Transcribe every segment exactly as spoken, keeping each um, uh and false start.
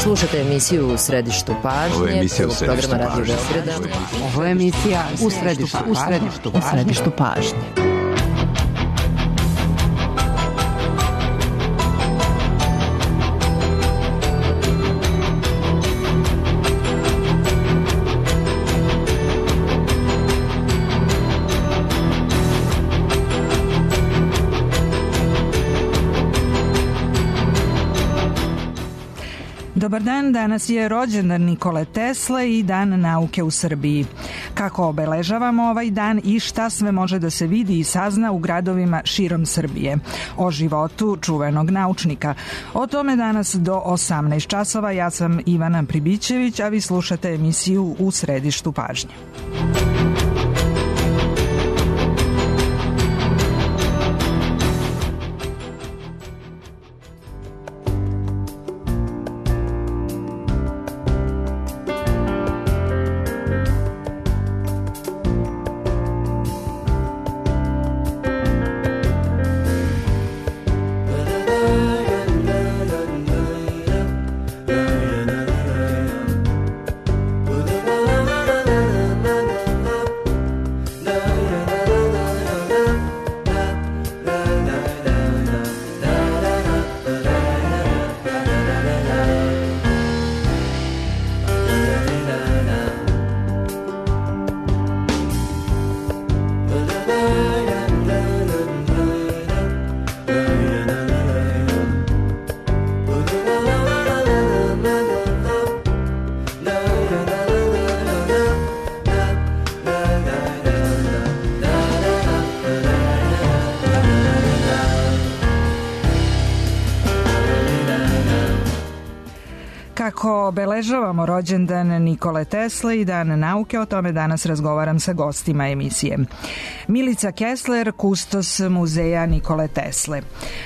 Slušate emisiju U središtu pažnje. Ovo je emisija U središtu pažnje. Ovo je emisija U središtu pažnje. U središtu pažnje. Dobar dan, danas je rođendan Nikole Tesle i Dan nauke u Srbiji. Kako obeležavamo ovaj dan i šta sve može da se vidi i sazna u gradovima širom Srbije? O životu čuvenog naučnika. O tome danas do osamnaest časova. Ja sam Ivana Pribićević, a vi slušate emisiju U središtu pažnje. Kako obeležavamo rođendan Nikole Tesle i Dan nauke, o tome danas razgovaram sa gostima emisije. Milica Kessler, kustos muzeja Nikole Tesle.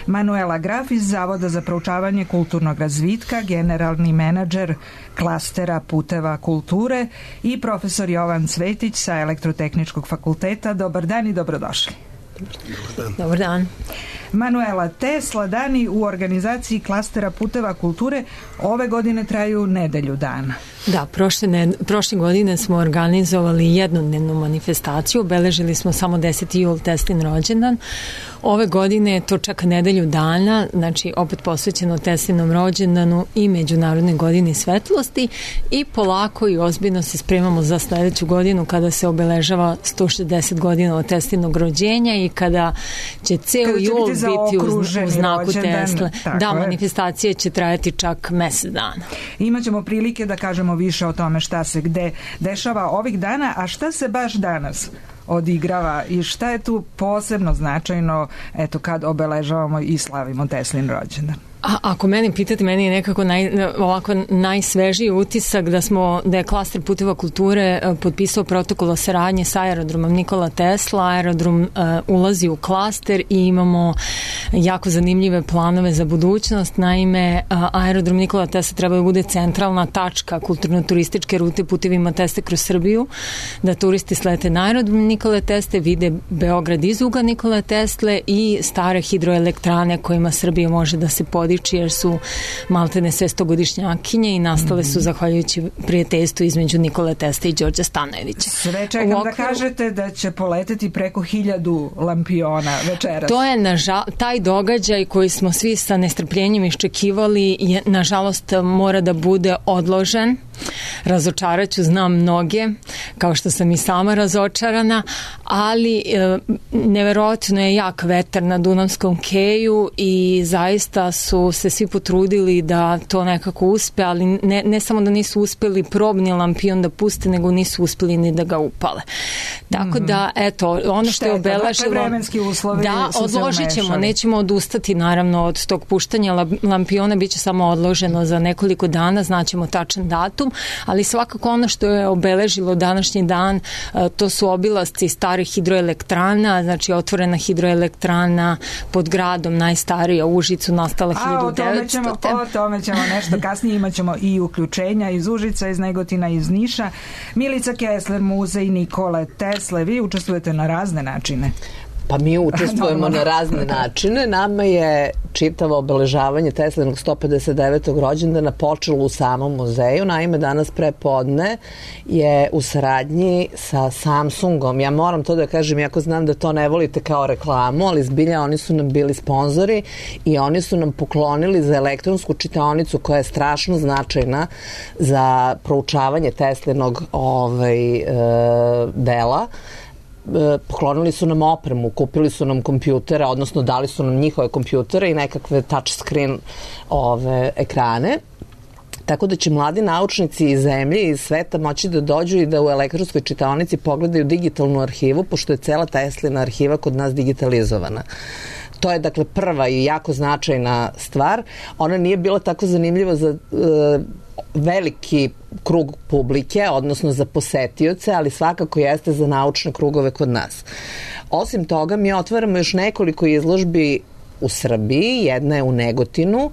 Manuela Graf iz Zavoda za proučavanje kulturnog razvitka, generalni menadžer klastera puteva kulture i profesor Jovan Cvetić sa Elektrotehničkog fakulteta. Dobar dan i dobrodošli. Dobar dan. Dobar dan. Manuela, Tesla dani u organizaciji klastera puteva kulture ove godine traju nedelju dana. Da, prošle, ne, prošle godine smo organizovali jednodnevnu manifestaciju, obeležili smo samo deseti jul Teslin rođendan. Ove godine je to čak nedelju dana, znači opet posvećeno Teslinom rođendanu i Međunarodnoj godini svetlosti i polako i ozbiljno se spremamo za sledeću godinu kada se obeležava sto šezdeset godina od Teslinog rođenja i kada će ceo kada će jul biti, biti u, u znaku rođendan, Tesle. Da, je. Manifestacije će trajati čak mesec dana. Imaćemo prilike da kažemo više o tome šta se gde dešava ovih dana, a šta se baš danas odigrava i šta je tu posebno značajno, eto, kad obeležavamo i slavimo Teslin rođendan. A, ako mene pitate, meni je nekako naj, ovako najsvežiji utisak da smo, da je klaster puteva kulture potpisao protokol o saradnji sa aerodromom Nikola Tesla. Aerodrom uh, ulazi u klaster i imamo jako zanimljive planove za budućnost. Naime, uh, aerodrom Nikola Tesla treba da bude centralna tačka kulturno-turističke rute putevima Tesle kroz Srbiju, da turisti slete na aerodrom Nikole Tesle, vide Beograd iz ugla Nikole Tesle i stare hidroelektrane kojima Srbija može da se podići, jer su maltene sve stogodišnjakinje i nastale su zahvaljujući prijateljstvu između Nikole Tesle i Đorđa Stanojevića. Sve čekam okviru, da kažete da će poleteti preko hiljadu lampiona večeras. To je nažal, taj događaj koji smo svi sa nestrpljenjem iščekivali je, nažalost, mora da bude odložen. Razočaraću, znam mnoge, kao što sam i sama razočarana, ali e, neverovatno je jak vetar na Dunavskom keju i zaista su se svi potrudili da to nekako uspe, ali ne, ne samo da nisu uspeli probni lampion da puste, nego nisu uspeli ni da ga upale. Tako mm-hmm. da, eto, ono što je obeležilo... vremenski uslovi da, odložit ćemo, nećemo odustati naravno od tog puštanja lampiona, bit će samo odloženo za nekoliko dana, znaćemo tačan datum, ali svakako ono što je obeležilo današnji dan, to su obilasci starih hidroelektrana, znači otvorena hidroelektrana pod gradom, najstarija u Užicu, nastala hiljadu devetsto. A o tome ćemo, o tome ćemo nešto kasnije, imat ćemo i uključenja iz Užica, iz Negotina, iz Niša. Milica Kessler, muzej Nikole Tesle, vi učestvujete na razne načine. Pa mi učestvujemo na razne načine. Nama je čitavo obeležavanje Teslinog sto pedeset devetog rođendana počelo u samom muzeju. Naime, danas pre podne je u saradnji sa Samsungom. Ja moram to da kažem, iako znam da to ne volite kao reklamu, ali zbilja oni su nam bili sponzori i oni su nam poklonili za elektronsku čitaonicu koja je strašno značajna za proučavanje Teslinog ovaj, e, dela. Poklonili su nam opremu, kupili su nam kompjutere, odnosno dali su nam njihove kompjutere i nekakve touchscreen ove ekrane. Tako da će mladi naučnici iz zemlje i iz sveta moći da dođu i da u elektronskoj čitaonici pogledaju digitalnu arhivu, pošto je cela Teslina arhiva kod nas digitalizovana. To je dakle prva i jako značajna stvar. Ona nije bila tako zanimljiva za e, veliki krug publike, odnosno za posetioce, ali svakako jeste za naučne krugove kod nas. Osim toga, mi otvaramo još nekoliko izložbi u Srbiji, jedna je u Negotinu,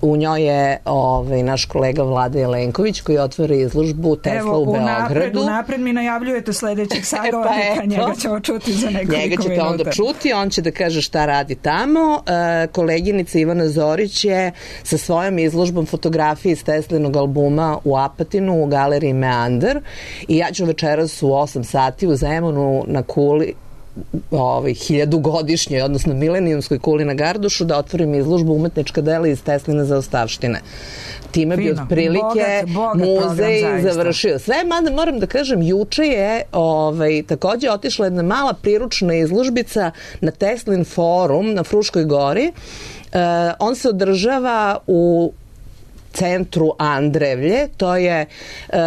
u njoj je ovaj, naš kolega Vlada Jelenković koji otvara izložbu Tesla Evo, u Beogradu. Evo, unapred mi najavljujete sledećeg sagovornika, pa njega ćemo čuti za nekoliko minuta. Njega ćete minuta. Onda čuti, on će da kaže šta radi tamo. E, koleginica Ivana Zorić je sa svojom izložbom fotografije iz Teslinog albuma u Apatinu u galeriji Meander i ja ću večeras u osam sati u Zemunu na kuli ovaj, hiljadugodišnjoj, odnosno milenijumskoj kuli na Gardušu da otvorim izložbu umetnička dela iz Tesline zaostavštine. Time Fino. bi otprilike bogat, bogat muzej program, završio. Sve, mada moram da kažem, juče je ovaj, takođe otišla jedna mala priručna izložbica na Teslin forum na Fruškoj gori. Uh, on se održava u centru Andrevlje, to je e,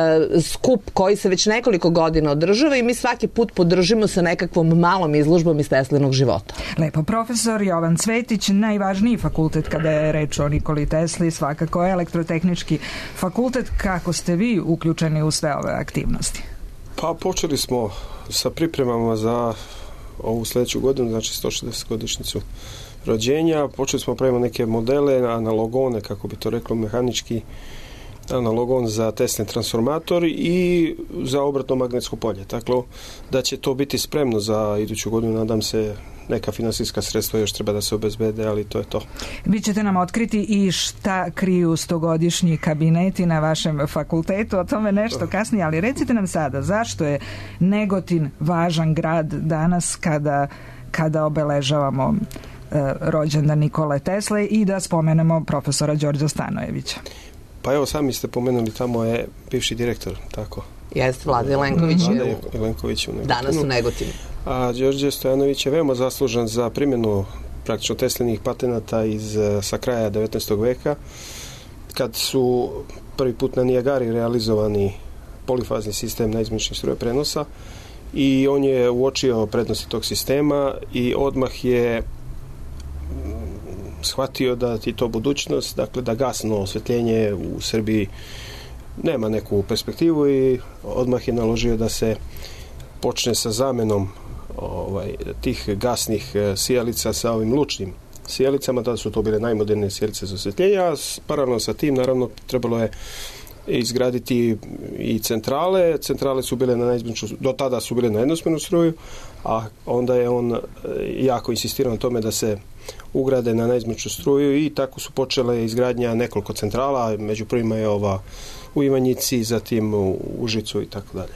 skup koji se već nekoliko godina održava i mi svaki put podržimo sa nekakvom malom izložbom iz Teslinog života. Lepo, profesor Jovan Cvetić, najvažniji fakultet kada je reč o Nikoli Tesli, svakako je Elektrotehnički fakultet. Kako ste vi uključeni u sve ove aktivnosti? Pa počeli smo sa pripremama za ovu sledeću godinu, znači sto šezdeset godišnjicu rođenja. Počeli smo pravimo neke modele, analogone, kako bi to reklo mehanički, analogon za Teslin transformator i za obratno magnetsko polje. Tako da će to biti spremno za iduću godinu, nadam se. Neka finansijska sredstva još treba da se obezbede, ali to je to. Vi ćete nam otkriti i šta kriju stogodišnji kabineti na vašem fakultetu, o tome nešto kasnije, ali recite nam sada, zašto je Negotin važan grad danas kada, kada obeležavamo e, rođendan Nikole Tesle i da spomenemo profesora Đorđa Stanojevića? Pa evo, sami ste pomenuli, tamo je bivši direktor, tako? Jeste, Vlada Jelenković je Vlada Jelenković u Negotinu. Danas u Negotinu. A Đorđe Stojanović je veoma zaslužan za primjenu praktično Teslinih patenata iz, sa kraja devetnaestog veka, kad su prvi put na Nijagari realizovani polifazni sistem naizmeničnih struje prenosa i on je uočio prednosti tog sistema i odmah je shvatio da je to budućnost, dakle da gasno osvetljenje u Srbiji nema neku perspektivu i odmah je naložio da se počne sa zamenom ovaj, tih gasnih sijalica sa ovim lučnim sijalicama. Tada su to bile najmodernije sijalice za osvetljenje, a paralelno sa tim naravno trebalo je izgraditi i centrale. Centrale su bile na naizmeničnu, do tada su bile na jednosmernu struju, a onda je on jako insistirao na tome da se ugrade na naizmeničnu struju i tako su počele izgradnja nekoliko centrala, među prvima je ova u Ivanjici, zatim u Užicu i tako dalje.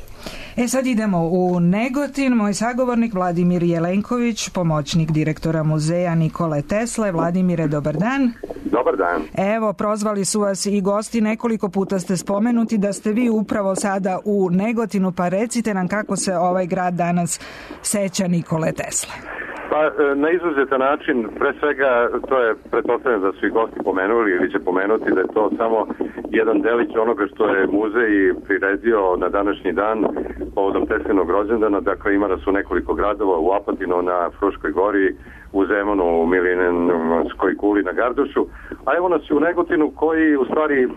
E sad idemo u Negotin. Moj sagovornik Vladimir Jelenković, pomoćnik direktora muzeja Nikole Tesle. Vladimire, dobar dan. Dobar dan. Evo, prozvali su vas i gosti, nekoliko puta ste spomenuti da ste vi upravo sada u Negotinu, pa recite nam kako se ovaj grad danas seća Nikole Tesle. Pa, na izuzetan način, pre svega, to je pretpostavljeno da su i gosti pomenuli ili će pomenuti da je to samo jedan delić onoga što je muzej priredio na današnji dan povodom Teslinog rođendana. Dakle, ima da su nekoliko gradova u Apatinu, na Fruškoj gori, u Zemunu, u Milenijumskoj kuli na Gardušu, a evo nas u Negotinu koji u stvari e,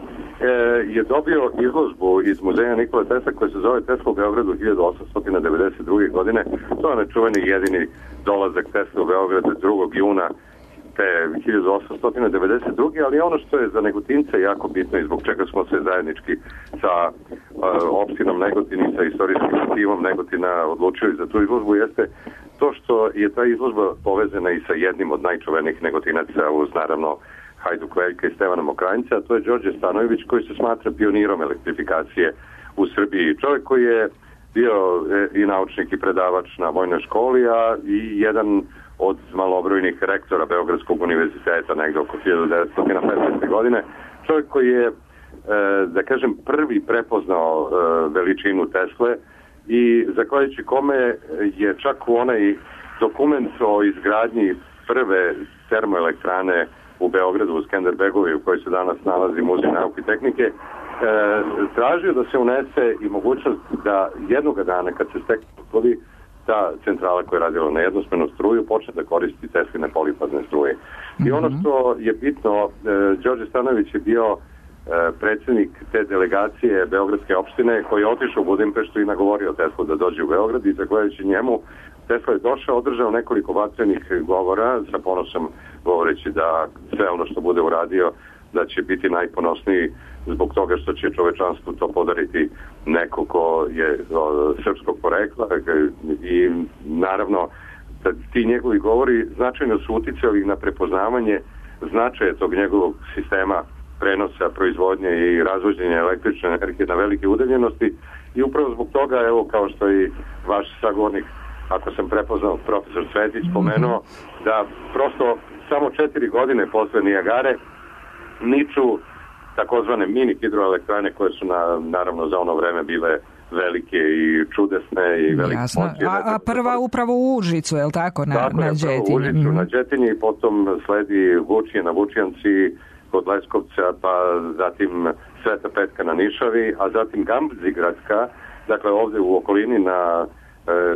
je dobio izložbu iz muzeja Nikole Tesle koja se zove Tesla u Beogradu hiljadu osamsto devedeset druge. godine. To je nečuveni jedini dolazak Tesla u Beogradu drugog juna te hiljadu osamsto devedeset druge. ali ono što je za Negotince jako bitno i zbog čega smo se zajednički sa uh, opštinom Negotin i sa istorijskim timom Negotina odlučili za tu izložbu jeste to što je ta izložba povezana i sa jednim od najčuvenijih negotinaca uz naravno Hajduk Veljka i Stevana Mokranjca, a to je Đorđe Stanojević koji se smatra pionirom elektrifikacije u Srbiji. Čovjek koji je bio i naučnik i predavač na vojnoj školi, a i jedan od malobrojnih rektora Beogradskog univerziteta negde oko hiljadu devetsto petnaeste. godine. Čovjek koji je, da kažem, prvi prepoznao veličinu Tesle i zahvaljujući kome je čak u onaj dokument o izgradnji prve termoelektrane u Beogradu, u Skenderbegovi, u kojoj se danas nalazi Muzej nauke i tehnike, e, tražio da se unese i mogućnost da jednog dana, kad se stekne ta centrala koja je radila na jednosmenu struju, počne da koristi Tesline polifazne struje. Mm-hmm. I ono što je bitno, e, Đorđe Stanojević je bio e, predsjednik te delegacije Beogradske opštine koji je otišao u Budimpeštu i nagovorio Teslu da dođe u Beograd i zahvaljujući njemu Tesla je došao, održao nekoliko vatrenih govora, sa ponosom govoreći da sve ono što bude uradio, da će biti najponosniji zbog toga što će čovečanstvu to podariti neko ko je o, srpskog porekla i naravno da ti njegovi govori značajno su uticali na prepoznavanje značaja tog njegovog sistema prenosa, proizvodnje i razvođenja električne energije na velike udaljenosti i upravo zbog toga, evo kao što i vaš sagovornik, ako sam prepoznao, profesor Cvetić pomenuo, da prosto samo četiri godine posle Nijagare niču takozvane mini hidroelektrane koje su na, naravno za ono vreme bile velike i čudesne i velike. Jasno. A, a prva upravo u Užicu, je li tako? Na, tako na je, Đetinji. U Užicu, mm-hmm. na Đetinji, potom sledi Vučije na Vučijanci kod Leskovca, pa zatim Sveta Petka na Nišavi, a zatim Gambzigradska, dakle ovde u okolini na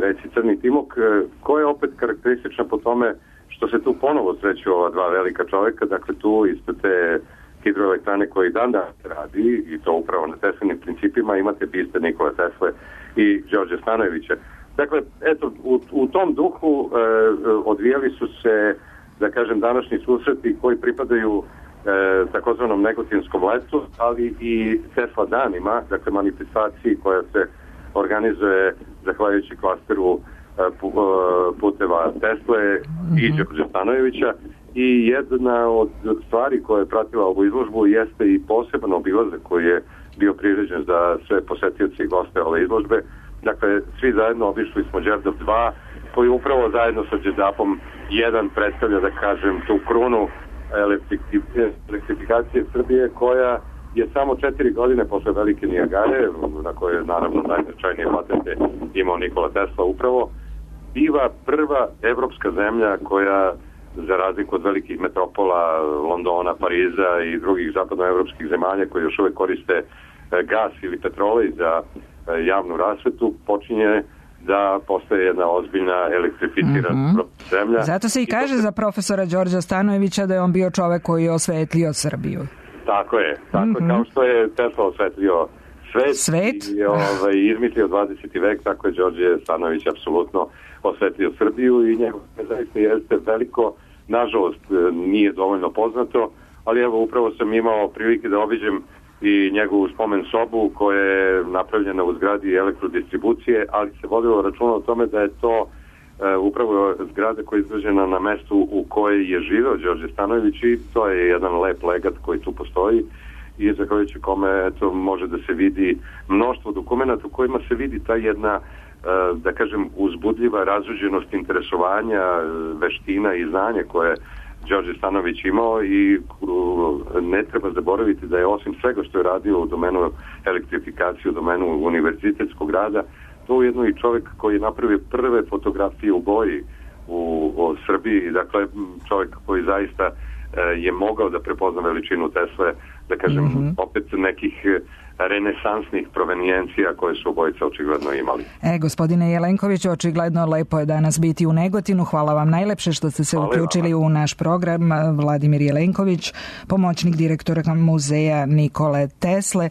reci Crni Timok, koja je opet karakteristična po tome što se tu ponovo sreću ova dva velika čovjeka, dakle tu ispred te hidroelektrane koje dan da radi i to upravo na Teslinim principima imate biste Nikole Tesle i Đorđe Stanojevića. Dakle, eto, u, u tom duhu e, odvijali su se, da kažem, današnji susreti koji pripadaju e, takozvanom negotinskom letu, ali i Tesla danima, dakle manifestaciji koja se organizuje zahvaljujući klasteru puteva Tesle i Đorđe Stanojevića i jedna od stvari koja je pratila ovu izložbu jeste i poseban obilazak koji je bio priređen za sve posetioci i goste ove izložbe. Dakle, svi zajedno obišli smo Đerdap dva koji upravo zajedno sa Đerdapom jedan predstavlja, da kažem, tu krunu elektrifikacije Srbije koja je samo četiri godine posle velike Nijagare, na kojoj je naravno najznačajnije patente imao Nikola Tesla upravo, biva prva evropska zemlja koja, za razliku od velikih metropola Londona, Pariza i drugih zapadnoevropskih zemalja koji još uvek koriste gas ili petrolej za javnu rasvetu, počinje da postaje jedna ozbiljna elektrificirana mm-hmm. zemlja. Zato se i kaže I to... za profesora Đorđa Stanojevića da je on bio čovek koji je osvetlio Srbiju. Tako je, tako mm-hmm. je, kao što je Tesla osvetlio svet, svet? i ovaj, izmislio dvadeseti vek, tako je Đorđe Stanojević apsolutno osvetlio Srbiju i njegov zaista jeste veliko, nažalost nije dovoljno poznato, ali evo upravo sam imao prilike da obiđem i njegovu spomen sobu koja je napravljena u zgradi elektrodistribucije, ali se vodilo računa o tome da je to e, upravo zgrada koja je izgrađena na mestu u kojoj je živeo Đorđe Stanojević i to je jedan lep legat koji tu postoji i zahvaljujući kome to može da se vidi mnoštvo dokumenta u kojima se vidi ta jedna, e, da kažem, uzbudljiva razuđenost interesovanja, veština i znanja koje Đorđe Stanojević imao i ne treba zaboraviti da je osim svega što je radio u domenu elektrifikacije, u domenu univerzitetskog rada, to je jedno i čovjek koji je napravio prve fotografije u boji u, u Srbiji, dakle čovjek koji zaista je mogao da prepozna veličinu Tesle, da kažem, mm-hmm. opet nekih renesansnih provenijencija koje su obojica očigledno imali. E, gospodine Jelenkoviću, očigledno lepo je danas biti u Negotinu. Hvala vam najlepše što ste se Hvala uključili vama. U naš program. Vladimir Jelenković, pomoćnik direktora muzeja Nikole Tesle. E,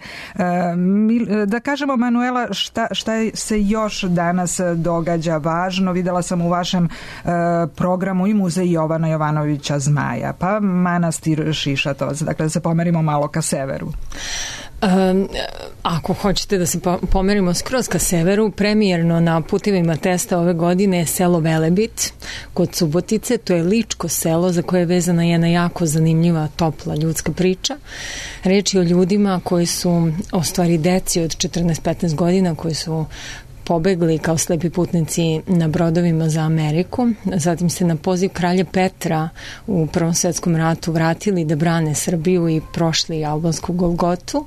da kažemo, Manuela, šta, šta se još danas događa važno? Videla sam u vašem e, programu i muzej Jovana Jovanovića Zmaja, pa manastir Šišatovac. Dakle, da se pomerimo malo ka severu. Um, ako hoćete da se pomerimo skroz ka severu, premijerno na putevima testa ove godine je selo Velebit kod Subotice. To je ličko selo za koje je vezana jedna jako zanimljiva, topla ljudska priča. Reč je o ljudima koji su, o stvari deci od četrnaest petnaest godina, koji su pobegli kao slepi putnici na brodovima za Ameriku, zatim se na poziv kralja Petra u Prvom svetskom ratu vratili da brane Srbiju i prošli albansku Golgotu,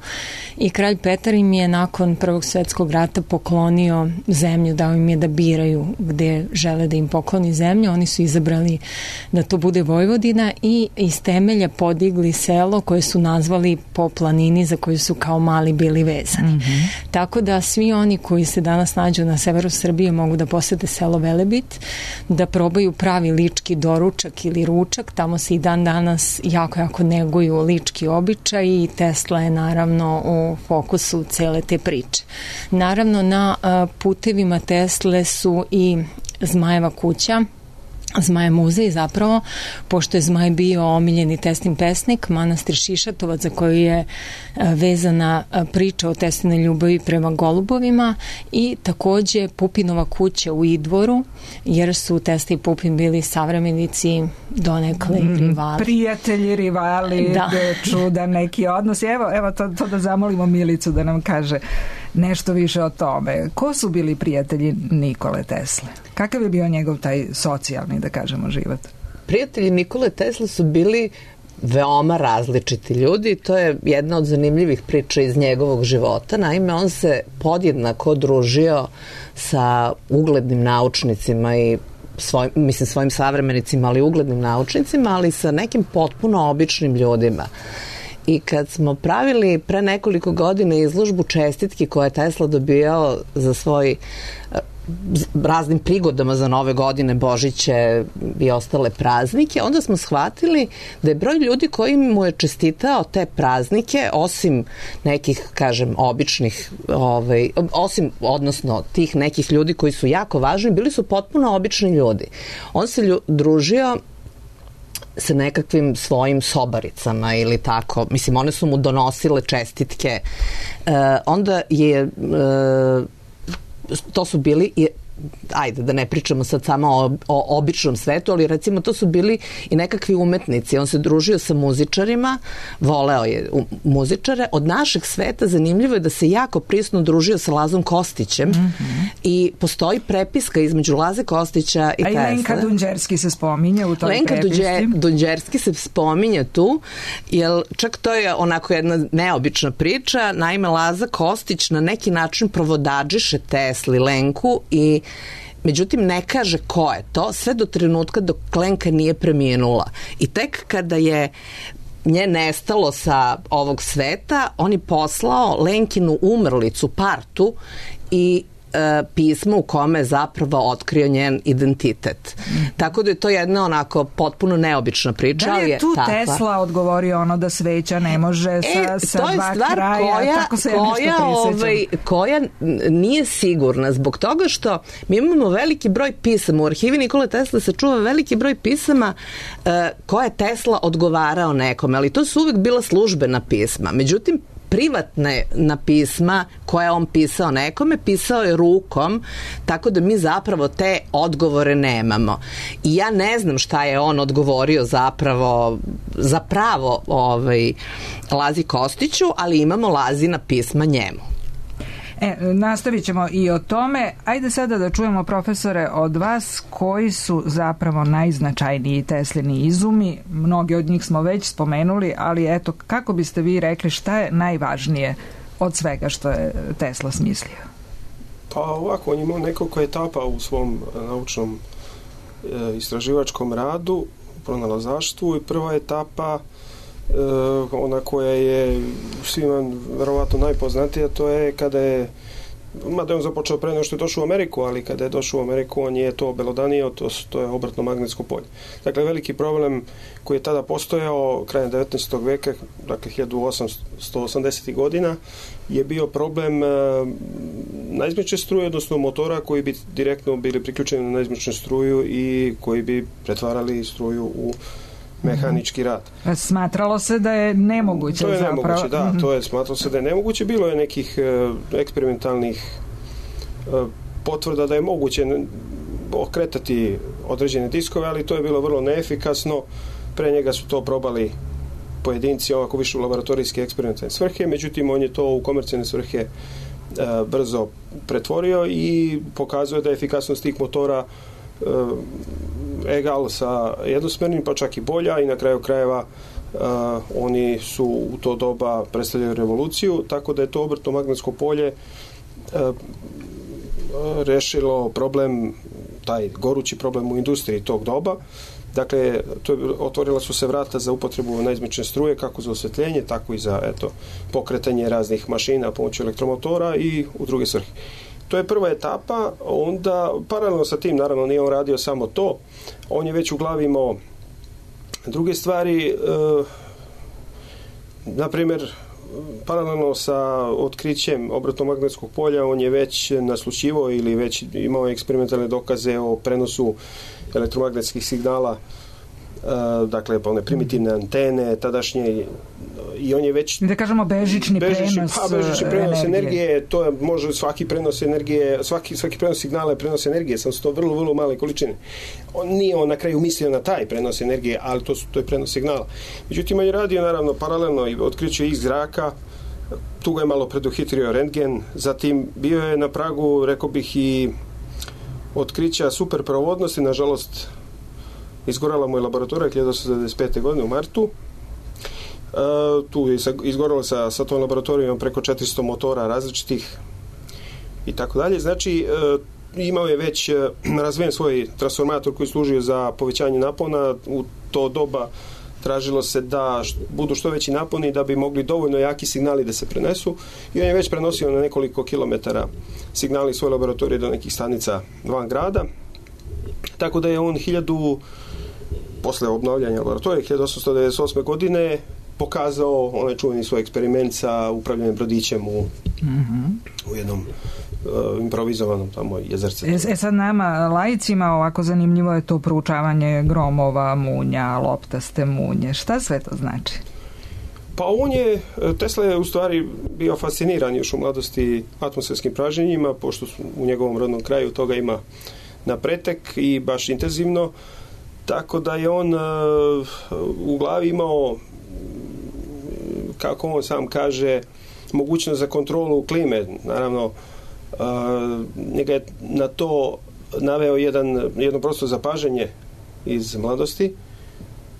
i kralj Petar im je nakon Prvog svetskog rata poklonio zemlju, dao im je da biraju gde žele da im pokloni zemlju. Oni su izabrali da to bude Vojvodina i iz temelja podigli selo koje su nazvali po planini za koju su kao mali bili vezani. Mm-hmm. Tako da svi oni koji se danas nađu na severu Srbije mogu da posete selo Velebit, da probaju pravi lički doručak ili ručak. Tamo se i dan danas jako, jako neguju lički običaj i Tesla je naravno u fokusu cele te priče. Naravno, na putevima Tesle su i Zmajeva kuća, Zmaj muzej zapravo, pošto je Zmaj bio omiljeni Teslin pesnik, manastir Šišatovac za koju je vezana priča o Teslinoj ljubavi prema golubovima, i takođe Pupinova kuća u Idvoru, jer su Tesla i Pupin bili savremenici, donekle mm, rivali. Prijatelji, rivali, da. Čudan neki odnos. Evo, evo to, to da zamolimo Milicu da nam kaže nešto više o tome. Ko su bili prijatelji Nikole Tesle? Kakav je bio njegov taj socijalni, da kažemo, život? Prijatelji Nikole Tesle su bili veoma različiti ljudi. To je jedna od zanimljivih priča iz njegovog života. Naime, on se podjednako družio sa uglednim naučnicima i svoj, mislim svojim savremenicima, ali uglednim naučnicima, ali sa nekim potpuno običnim ljudima. I kad smo pravili pre nekoliko godina izložbu čestitki koje je Tesla dobijao za svoj raznim prigodama za nove godine, Božiće i ostale praznike, onda smo shvatili da je broj ljudi koji mu je čestitao te praznike, osim nekih, kažem, običnih, ovaj, osim, odnosno tih nekih ljudi koji su jako važni, bili su potpuno obični ljudi. On se lju, družio sa nekakvim svojim sobaricama ili tako. Mislim, one su mu donosile čestitke. E, onda je... E, to su bili, ajde da ne pričamo sad samo o, o običnom svetu, ali recimo to su bili i nekakvi umetnici. On se družio sa muzičarima, voleo je muzičare. Od našeg sveta zanimljivo je da se jako prisno družio sa Lazom Kostićem, mm-hmm. i postoji prepiska između Laze Kostića i Tesle. A i Lenka Dunđerski se spominje u toj Lenka prepisci. Lenka Dunđerski se spominje tu, jer čak to je onako jedna neobična priča. Naime, Laza Kostić na neki način provodadžiše Tesli Lenku i međutim ne kaže ko je to sve do trenutka dok Lenka nije preminula. I tek kada je nje nestalo sa ovog sveta, on je poslao Lenkinu umrlicu Partu i pismo u kome je zapravo otkrio njen identitet. Mm. Tako da je to jedna onako potpuno neobična priča. Da li je tu je Tesla odgovorio ono da sveća ne može e, sa, sa dva kraja? Koja, tako se koja, ovaj, koja nije sigurna zbog toga što mi imamo veliki broj pisama. U arhivi Nikole Tesle se čuva veliki broj pisama uh, koje je Tesla odgovarao nekome, ali to su uvek bila službena pisma. Međutim, privatne na pisma koje on pisao nekome, pisao je rukom, tako da mi zapravo te odgovore nemamo. I ja ne znam šta je on odgovorio zapravo zapravo ovaj, Lazi Kostiću, ali imamo Lazina pisma njemu. E, nastavit ćemo i o tome. Ajde sada da čujemo, profesore, od vas koji su zapravo najznačajniji Teslini izumi. Mnogi od njih smo već spomenuli, ali eto, kako biste vi rekli šta je najvažnije od svega što je Tesla smislio? Pa ovako, on imao nekoliko etapa u svom naučnom e, istraživačkom radu, u pronalazaštvu, i prva etapa Uh, ona koja je svima verovatno najpoznatija, to je kada je, mada je on započeo pre nego što je došao u Ameriku, ali kada je došao u Ameriku on je to obelodanio, to, to je obratno magnetsko polje. Dakle, veliki problem koji je tada postojao krajem devetnaestog veka, dakle hiljadu osamsto osamdesetih godina, je bio problem uh, naizmečne struje, odnosno motora koji bi direktno bili priključeni na naizmečnu struju i koji bi pretvarali struju u mehanički rad. Smatralo se da je nemoguće. To je zapravo. nemoguće, da, to je smatralo se da je nemoguće. Bilo je nekih e, eksperimentalnih e, potvrda da je moguće okretati određene diskove, ali to je bilo vrlo neefikasno. Pre njega su to probali pojedinci, ovako više u laboratorijske eksperimentalne svrhe, međutim on je to u komercijalne svrhe e, brzo pretvorio i pokazuje da je efikasnost tih motora e, egal sa jednosmernim, pa čak i bolja, i na kraju krajeva e, oni su u to doba predstavljaju revoluciju, tako da je to obrtno magnetsko polje e, rešilo problem, taj gorući problem u industriji tog doba. Dakle, to je, otvorila su se vrata za upotrebu naizmečne struje, kako za osvetljenje, tako i za eto, pokretanje raznih mašina pomoću elektromotora i u druge svrhe. To je prva etapa, onda paralelno sa tim, naravno nije on radio samo to, on je već u glavi imao druge stvari, e, na primjer, paralelno sa otkrićem obrtno-magnetskog polja, on je već naslućivao ili već imao eksperimentalne dokaze o prenosu elektromagnetskih signala, e, dakle one primitivne antene tadašnje, i on je već da kažemo bežični, bežični prenos, pa, bežični prenos energije. energije, to je može svaki prenos energije, svaki, svaki prenos signala je prenos energije, sam su to vrlo, vrlo male količine. On nije on na kraju mislio na taj prenos energije, ali to, su, to je prenos signala. Međutim, on je radio naravno paralelno i otkriću iz zraka, tu ga je malo preduhitrio rentgen, zatim bio je na pragu, rekao bih, i otkrića superprovodnosti, nažalost izgorala mu je laboratorija hiljadu osamsto devedeset pete. godine u martu. Uh, tu je izgoralo sa, sa tom laboratorijom preko četiristo motora različitih i tako dalje. Znači, uh, imao je već uh, razvijen svoj transformator koji služio za povećanje napona. U to doba tražilo se da št, budu što veći naponi da bi mogli dovoljno jaki signali da se prenesu, i on je već prenosio na nekoliko kilometara signali svoje laboratorije do nekih stanica van grada. Tako da je on hiljadu posle obnavljanja laboratorije hiljadu osamsto devedeset osme. godine pokazao onaj čuveni svoj eksperiment sa upravljanjem brodićem u, mm-hmm. u jednom uh, improvizovanom tamo jezerce. E, e sad nama, laicima, ovako zanimljivo je to proučavanje gromova, munja, loptaste munje. Šta sve to znači? Pa on je, Tesla je u stvari bio fasciniran još u mladosti atmosferskim pražnjenjima, pošto u njegovom rodnom kraju toga ima na pretek i baš intenzivno, tako da je on uh, u glavi imao, kako on sam kaže, mogućnost za kontrolu klime. Naravno, uh, njega je na to naveo jedan, jedno prosto zapažanje iz mladosti.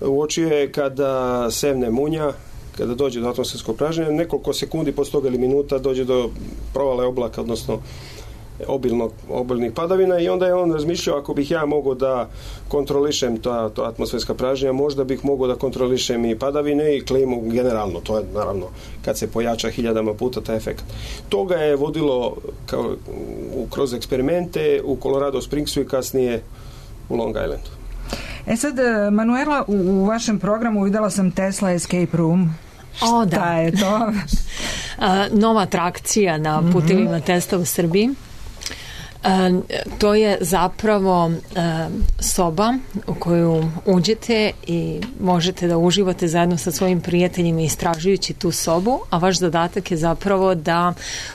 Uočio je kada sevne munja, kada dođe do atmosferskog pražnjenja, nekoliko sekundi posle toga ili minuta dođe do provale oblaka, odnosno obilnog, obilnih padavina, i onda je on razmišljao, ako bih ja mogao da kontrolišem ta, ta atmosferska pražnjenja, možda bih mogao da kontrolišem i padavine i klimu generalno. To je naravno kad se pojača hiljadama puta taj efekt. Toga je vodilo kao, u, kroz eksperimente u Colorado Springsu i kasnije u Long Islandu. E sad, Manuela, u, u vašem programu videla sam Tesla Escape Room. O, da. Šta je to? Nova atrakcija na putevima mm-hmm. Tesla u Srbiji. E, to je zapravo e, soba u koju uđete i možete da uživate zajedno sa svojim prijateljima istražujući tu sobu, a vaš zadatak je zapravo da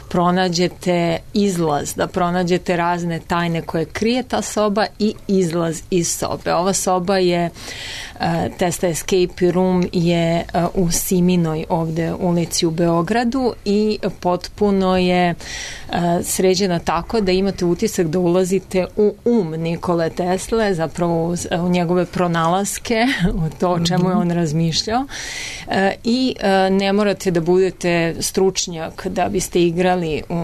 pronađete izlaz, da pronađete razne tajne koje krije ta soba i izlaz iz sobe. Ova soba je e, Tesla Escape Room je e, u Siminoj ovde ulici u Beogradu i potpuno je e, sređena tako da imate utisak da ulazite u um Nikole Tesle, zapravo u, u njegove pronalaske, u to o čemu je on razmišljao, e, i e, ne morate da budete stručnjak da biste igrali u,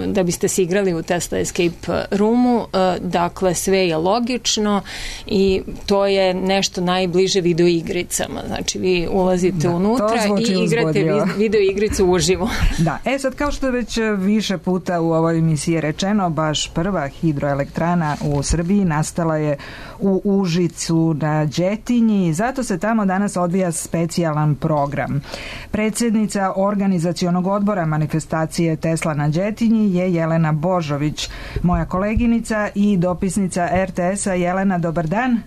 da biste se igrali u Tesla Escape Roomu, e, dakle sve je logično i to je nešto najbliže videoigricama, znači vi ulazite da, unutra i igrate videoigricu uživo. Da, e sad kao što je već više puta u ovoj emisiji rečeno, baš prva hidroelektrana u Srbiji nastala je u Užicu na Đetinji, zato se tamo danas odvija specijalan program. Predsjednica organizacionog odbora manifestacije Tesla na Đetinji je Jelena Božović, moja koleginica i dopisnica er te esa. Jelena, dobar dan.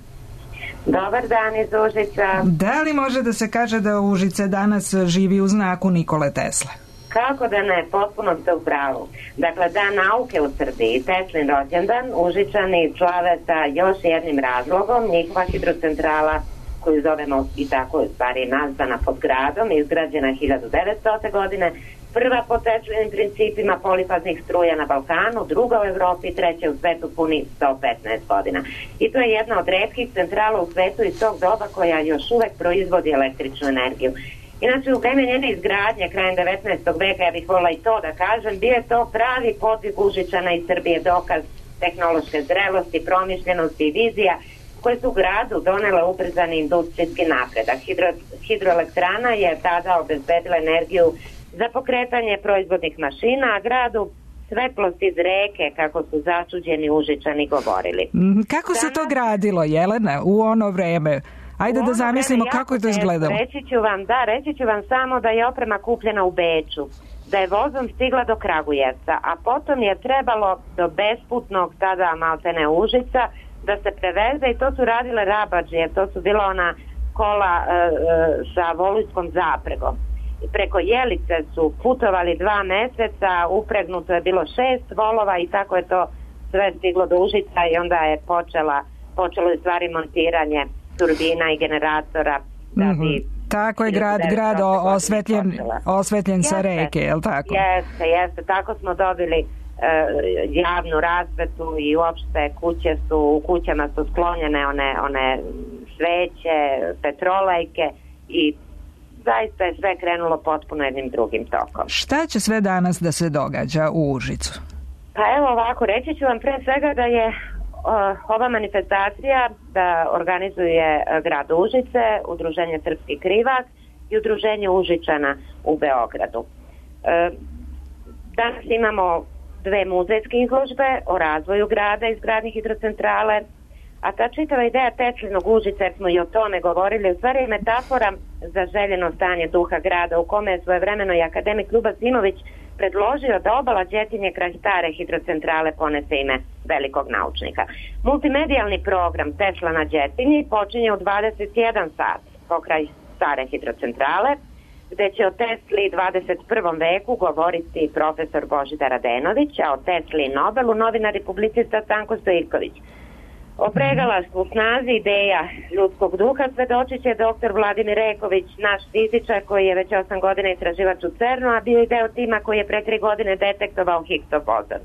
Dobar dan iz Užica. Da li može da se kaže da Užice danas živi u znaku Nikole Tesle? Kako da ne, potpuno ste u pravu. Dakle, Dan nauke u Srbiji, Teslin rođendan, Užičani slave sa još jednim razlogom. Njihova hidrocentrala, koju zovemo i tako u stvari nazvana pod gradom, izgrađena hiljadu devetstotne. godine, prva po Teslinim principima polifaznih struja na Balkanu, druga u Evropi, treća u svetu puni sto petnaest godina. I to je jedna od retkih centrala u svetu iz tog doba koja još uvek proizvodi električnu energiju. Inače, u vreme njene izgradnje krajem devetnaestog veka, ja bih volila i to da kažem, bio je to pravi podvig Užičana iz Srbije, dokaz tehnološke zrelosti, promišljenosti i vizija koje su gradu donele ubrzani industrijski napredak. Hidro, hidroelektrana je tada obezbedila energiju za pokretanje proizvodnih mašina, a gradu svetlost iz reke, kako su začuđeni Užičani govorili. Kako se to gradilo, Jelena, u ono vreme? Ajde da zamislimo kako je to izgledalo. Reći ću vam, da, reći ću vam samo da je oprema kupljena u Beču, da je vozom stigla do Kragujevca, a potom je trebalo do besputnog tada maltene Užica da se preveze i to su radile rabadžije, to su bila ona kola e, e, sa volujskom zapregom. I preko Jelice su putovali dva meseca, upregnuto je bilo šest volova i tako je to sve stiglo do Užica i onda je počela, počelo je stvari montiranje turbina i generatora da bi... Mm-hmm. Tako je grad, grad osvetljen, osvetljen sa reke, je li tako? Jeste, jeste. Tako smo dobili e, javnu rasvetu i uopšte kuće su, u kućama su sklonjene one, one sveće, petrolejke i zaista je sve krenulo potpuno jednim drugim tokom. Šta će sve danas da se događa u Užicu? Pa evo ovako, reći ću vam pre svega da je ova manifestacija da organizuje grad Užice, Udruženje Srpski krivak i Udruženje Užičana u Beogradu. Danas imamo dve muzejske izložbe o razvoju grada i izgradnje hidrocentrale, a ta čitava ideja Teslinog Užica, jer smo i o tome govorili, u stvari je metafora za željeno stanje duha grada u kome je svojevremeno i akademik Ljuba Simović predložio da obala Đetinje kraj stare hidrocentrale ponese ime velikog naučnika. Multimedijalni program Tesla na Đetinji počinje u dvadeset jedan sat pokraj stare hidrocentrale, gde će o Tesli dvadeset prvom veku govoriti profesor Božidar Radenović, a o Tesli i Nobelu novinar i publicista Stanko Stojković. O pregalaštvu, snazi ideja ljudskog duha svedočit će doktor Vladimir Reković, naš fizičar koji je već osam godina istraživač u CERNu, a bio je deo tima koji je pre tri godine detektovao Higgsov bozon.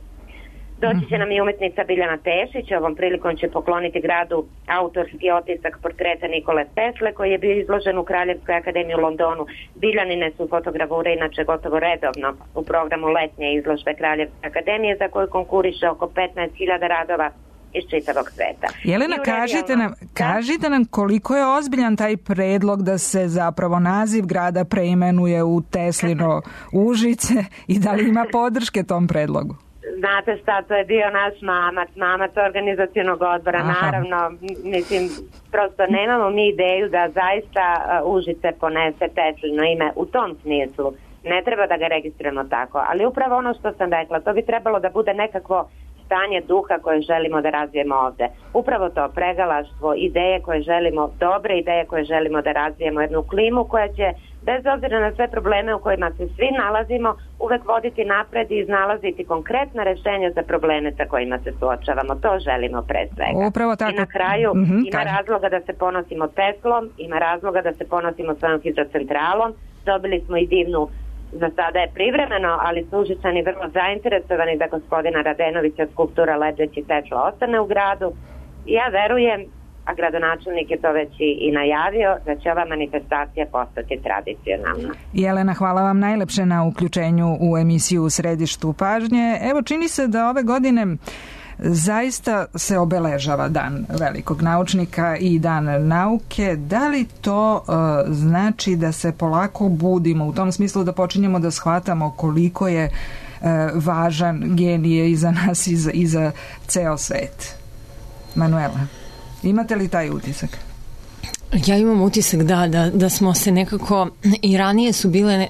Doći će nam i umetnica Biljana Tešić, ovom prilikom će pokloniti gradu autorski otisak portreta Nikole Tesle koji je bio izložen u Kraljevskoj akademiji u Londonu. Biljanine su fotogravure inače gotovo redovno u programu letnje izložbe Kraljevske akademije za koju konkuriše oko petnaest hiljada radova iz čitavog sveta. Jelena, kažite nam, kažite nam koliko je ozbiljan taj predlog da se zapravo naziv grada preimenuje u Teslino Užice i da li ima podrške tom predlogu? Znate šta, to je bio naš mamac, mamac organizacionog odbora. Aha. Naravno, mislim, prosto nemamo mi ideju da zaista uh, Užice ponese Teslino ime u tom smislu. Ne treba da ga registrujemo tako, ali upravo ono što sam rekla, to bi trebalo da bude nekakvo stanje duha koje želimo da razvijemo ovde. Upravo to, pregalaštvo, ideje koje želimo, dobre ideje koje želimo da razvijemo, jednu klimu koja će, bez obzira na sve probleme u kojima se svi nalazimo, uvek voditi napred i iznalaziti konkretna rešenja za probleme sa kojima se suočavamo. To želimo pre svega. Upravo tako. I na kraju mm-hmm, ima kaj. razloga da se ponosimo Teslom, ima razloga da se ponosimo svojom hidrocentralom. Dobili smo i divnu, za sada je privremeno, ali su Užičani vrlo zainteresovani da gospodina Radenovića skulptura Lebdeći Tesla ostane u gradu. I ja verujem, a gradonačelnik je to već i, i najavio, da će ova manifestacija postati tradicionalna. Jelena, hvala vam najlepše na uključenju u emisiju U središtu pažnje. Evo, čini se da ove godine zaista se obeležava Dan velikog naučnika i Dan nauke. Da li to uh, znači da se polako budimo u tom smislu da počinjemo da shvatamo koliko je uh, važan genije i za nas i za, i za ceo svet? Manuela, imate li taj utisak? Ja imam utisak da, da, da smo se nekako, i ranije su bile e,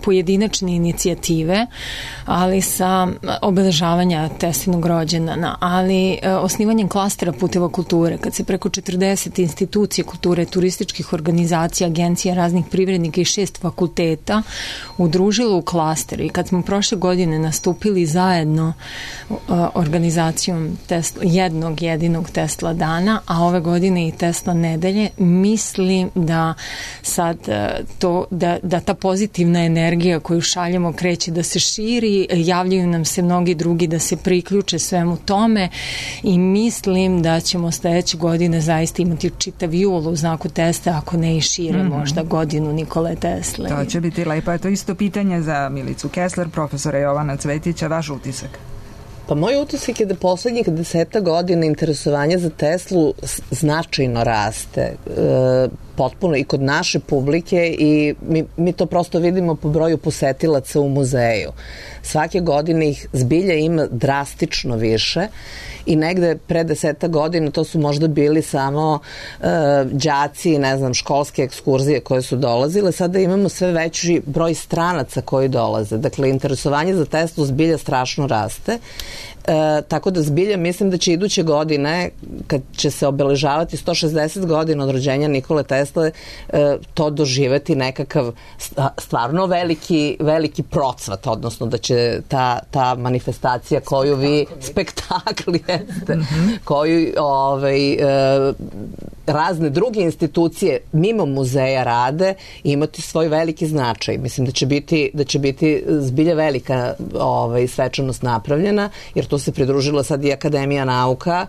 pojedinačne inicijative, ali sa obeležavanja Teslinog rođendana, ali e, osnivanjem klastera puteva kulture, kad se preko četrdeset institucija kulture, turističkih organizacija, agencija, raznih privrednika i šest fakulteta udružilo u klaster, i kad smo prošle godine nastupili zajedno e, organizacijom Tesla, jednog jedinog Tesla dana, a ove godine i Tesla nedelje, mislim da sad to, da, da ta pozitivna energija koju šaljemo kreće da se širi, javljaju nam se mnogi drugi da se priključe svemu tome i mislim da ćemo sledeće godine zaista imati čitav jul u znaku Tesle, ako ne i šire, mm-hmm. možda godinu Nikole Tesle. To će biti lepo. To isto pitanje za Milicu Kessler, profesora Jovana Cvetića, vaš utisak? Pa moj utisak je da poslednjih deseta godina interesovanje za Teslu značajno raste. E, potpuno i kod naše publike i mi, mi to prosto vidimo po broju posetilaca u muzeju. Svake godine ih zbilja ima drastično više i negde pre deseta godina to su možda bili samo e, đaci, ne znam, školske ekskurzije koje su dolazile. Sada imamo sve veći broj stranaca koji dolaze. Dakle, interesovanje za Teslu zbilja strašno raste. E, tako da zbilja mislim da će iduće godine, kad će se obeležavati sto šezdeset godina od rođenja Nikole Tesle, e, to doživeti nekakav stvarno veliki, veliki procvat, odnosno da će ta, ta manifestacija koju vi, spektakli jeste, mm-hmm. koju ovaj, e, razne druge institucije mimo muzeja rade, imati svoj veliki značaj. Mislim da će biti, da će biti zbilja velika ovaj, svečanost napravljena, jer to se pridružila sad i Akademija nauka,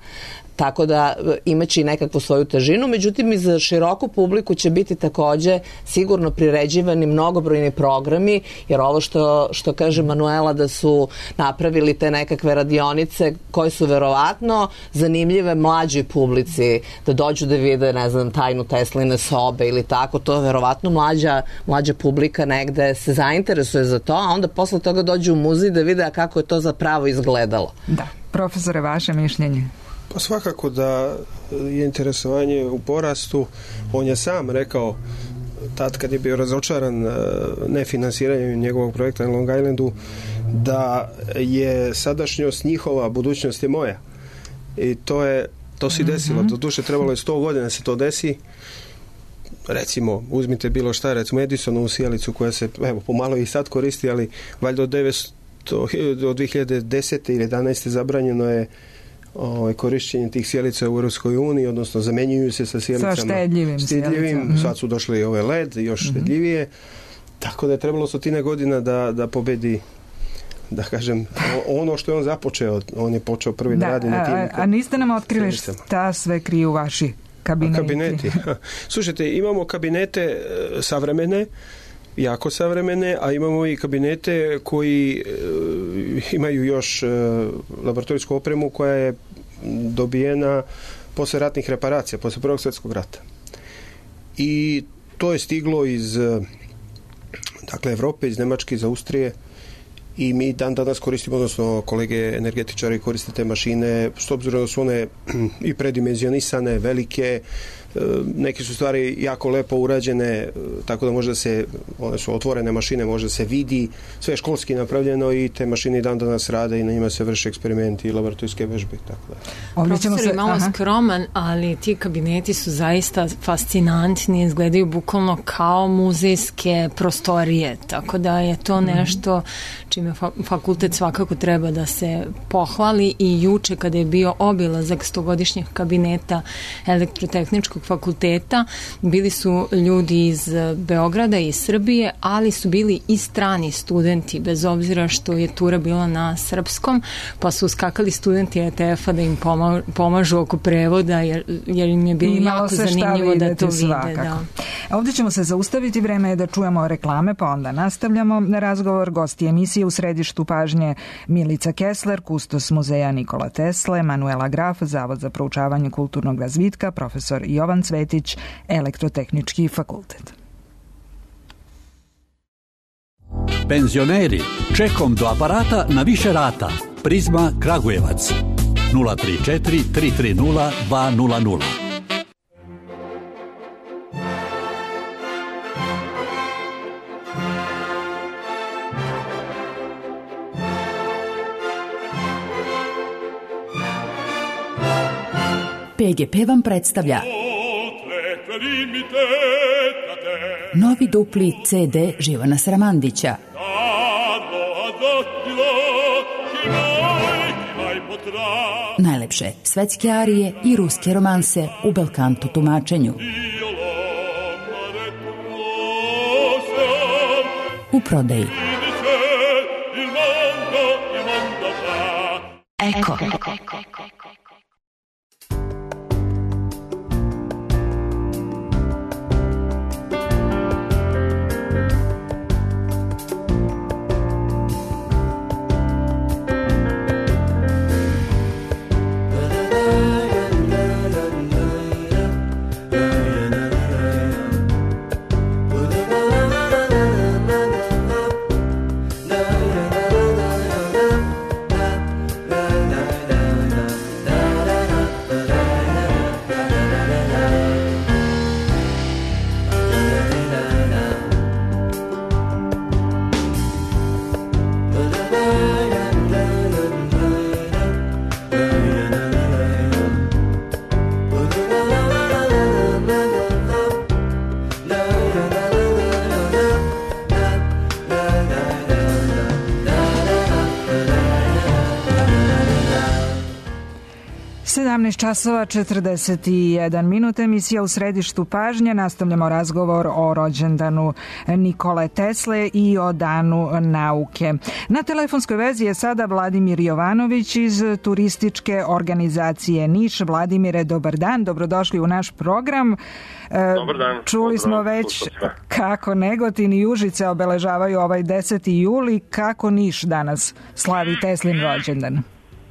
tako da imaće i nekakvu svoju težinu, međutim i za široku publiku će biti takođe sigurno priređivani mnogobrojni programi, jer ovo što, što kaže Manuela da su napravili te nekakve radionice koje su verovatno zanimljive mlađoj publici, da dođu da vide, ne znam, tajnu Tesline sobe ili tako, to verovatno mlađa, mlađa publika negde se zainteresuje za to, a onda posle toga dođu u muzej da vide kako je to zapravo izgledalo. Da. Profesore, vaše mišljenje? Pa svakako da je interesovanje u porastu. On je sam rekao tad kad je bio razočaran nefinansiranjem njegovog projekta na Long Islandu da je sadašnjost njihova, budućnost je moja. I to je to se desilo. Mm-hmm. Doduše trebalo je sto godina da se to desi. Recimo, uzmite bilo šta, recimo Edisonovu sijalicu koja se, evo, pomalo i sad koristi, ali valjda od devetsto, od dve hiljade desete ili jedanaeste zabranjeno je Ovaj, korišćenje tih sjelica u Europskoj uniji, odnosno zamenjuju se sa sjelicama sa štedljivim, štedljivim mm-hmm. sad su došli ove L E D, još mm-hmm. štedljivije, tako da je trebalo stotine godina da, da pobedi, da kažem, ono što je on započeo, on je počeo prvi da, da radi na tim. A, a niste nam otkrili šta sve kriju vaši kabineti? A kabineti. Slušajte, imamo kabinete savremene, jako savremene, a imamo i kabinete koji e, imaju još e, laboratorijsku opremu koja je dobijena posle ratnih reparacija, posle Prvog svjetskog rata. I to je stiglo iz dakle Evrope, iz Nemačke, iz Austrije i mi dan danas koristimo, odnosno kolege energetičari koriste te mašine, s obzirom da su one i predimenzionisane, velike, neke su stvari jako lepo urađene, tako da može da se, one su otvorene mašine, može da se vidi, sve je školski napravljeno i te mašine dan danas rade i na njima se vrše eksperimenti i laboratorijske vežbe. Tako da. Profesor je malo aha. skroman, ali ti kabineti su zaista fascinantni, izgledaju bukvalno kao muzejske prostorije, tako da je to nešto čime fakultet svakako treba da se pohvali i juče kada je bio obilazak stogodišnjih kabineta elektrotehničkog fakulteta, bili su ljudi iz Beograda i iz Srbije, ali su bili i strani studenti, bez obzira što je tura bila na srpskom, pa su skakali studenti E T F-a da im poma, pomažu oko prevoda, jer, jer im je bilo jako zanimljivo da to vide. Da. Ovdje ćemo se zaustaviti, vreme je da čujemo reklame, pa onda nastavljamo na razgovor. Gosti emisije u središtu pažnje Milica Kessler, kustos muzeja Nikola Tesle, Manuela Graf, Zavod za proučavanje kulturnog razvitka, profesor Jovan Cvetić, Elektrotehnički fakultet. Penzioneri, čekom do aparata na više rata. Prizma Kragujevac nula tri četiri tri tri nula dva nula nula. P G P vam predstavlja novi dupli C D Živana Sramandića. Najlepše svetske arije i ruske romanse u belkanto tumačenju. U prodaji Eko. sedamnaest časova četrdeset jedan minut, emisija U središtu pažnje. Nastavljamo razgovor o rođendanu Nikole Tesle i o danu nauke. Na telefonskoj vezi je sada Vladimir Jovanović iz turističke organizacije Niš. Vladimire, dobar dan, dobrodošli u naš program. Dobar dan. Čuli smo već kako Negotin i Užice obeležavaju ovaj deseti juli. Kako Niš danas slavi Teslin rođendan?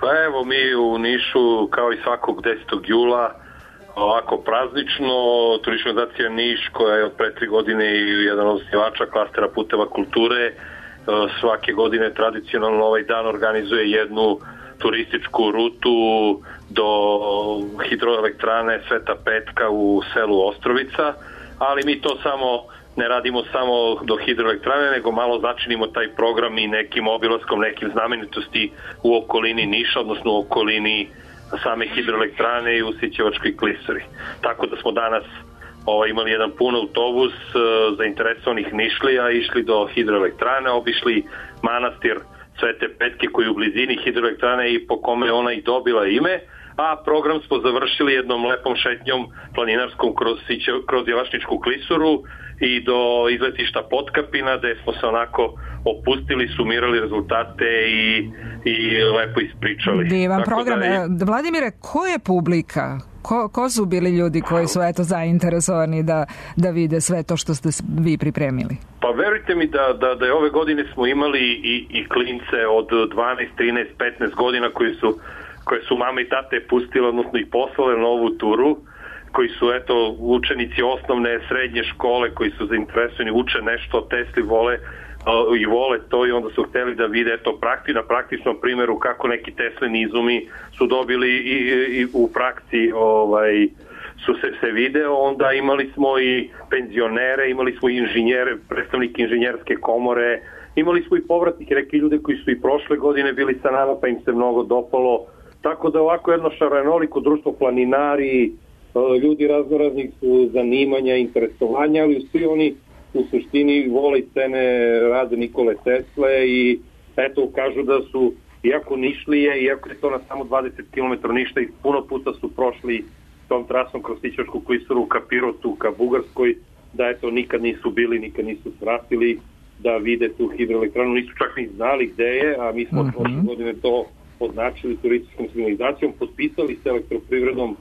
Pa evo, mi u Nišu, kao i svakog desetog jula, ovako praznično, turistička organizacija Niš, koja je od pre tri godine i jedan od osnivača klastera puteva kulture, svake godine tradicionalno ovaj dan organizuje jednu turističku rutu do hidroelektrane Sveta Petka u selu Ostrovica, ali mi to samo ne radimo samo do hidroelektrane, nego malo začinimo taj program i nekim obilaskom, nekim znamenitosti u okolini Niša, odnosno u okolini same hidroelektrane i u Sićevačkoj klisuri. Tako da smo danas ovaj, imali jedan pun autobus e, zainteresovanih Nišlija, išli do hidroelektrane, obišli manastir Svete Petke koji je u blizini hidroelektrane i po kome ona i dobila ime, a program smo završili jednom lepom šetnjom planinarskom kroz, kroz Jelašničku klisuru i do izletišta Potkapina, gde smo se onako opustili, sumirali rezultate i, i lepo ispričali. Divan Tako program. Da je... Vladimire, ko je publika? Ko, ko su bili ljudi koji su eto zainteresovani da, da vide sve to što ste vi pripremili? Pa verujte mi da, da, da je ove godine smo imali i, i klince od dvanaest, trinaest, petnaest godina koji su, koje su mame i tate pustile, odnosno i poslale na ovu turu, koji su eto učenici osnovne, srednje škole, koji su zainteresovani, uče nešto o Tesli, vole uh, i vole to i onda su hteli da vide eto prakti, na praktičnom primjeru kako neki Teslini izumi su dobili i, i, i u praksi ovaj, su se, se video, onda imali smo i penzionere, imali smo i inženjere, predstavnike inženjerske komore, imali smo i povratnike, neki ljude koji su i prošle godine bili sa nama pa im se mnogo dopalo, tako da ovako jedno šarenoliko društvo, planinari, ljudi raznoraznih su zanimanja, interesovanja, ali svi oni u suštini vole scene rade Nikole Tesle i eto kažu da su, iako Nišlije, iako je to na samo dvadeset kilometara Ništa i puno puta su prošli tom trasom kroz Sićevačku klisuru ka Pirotu, ka Bugarskoj, da eto nikad nisu bili, nikad nisu svratili da vide tu hidroelektranu, nisu čak ni znali gde je, a mi smo mm-hmm. prošle godine to označili turističkom signalizacijom, potpisali s Elektroprivredom